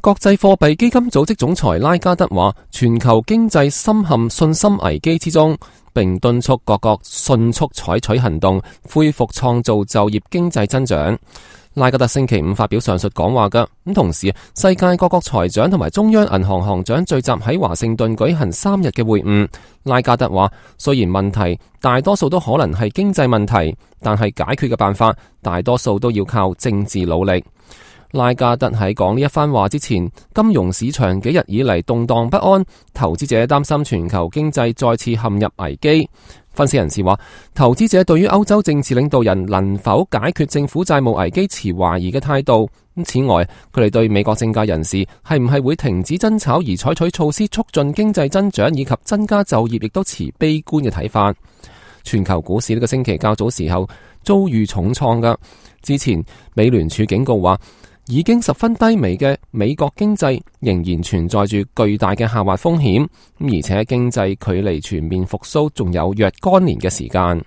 國際貨幣基金組織總裁拉加德話，全球經濟深陷信心危機之中，並敦促各國迅速採取行動，恢復創造就業經濟增長。拉加德星期五發表上述講話嘅，同時世界各國財長同埋中央銀行行長聚集喺華盛頓舉行3日嘅會晤。拉加德話，雖然問題大多數都可能係經濟問題，但係解決嘅辦法大多數都要靠政治努力。拉加德喺講呢一番話之前，金融市場幾日以嚟動盪不安，投資者擔心全球經濟再次陷入危機。分析人士話，投資者對於歐洲政治領導人能否解決政府債務危機持懷疑嘅態度。此外，佢哋對美國政界人士係唔係會停止爭吵而採取措施促進經濟增長以及增加就業，亦都持悲觀嘅睇法。全球股市呢個星期較早時候遭遇重創㗎。之前美聯儲警告話，已經十分低微嘅美國經濟仍然存在住巨大嘅下滑風險，而且經濟距離全面復甦仲有若干年嘅時間。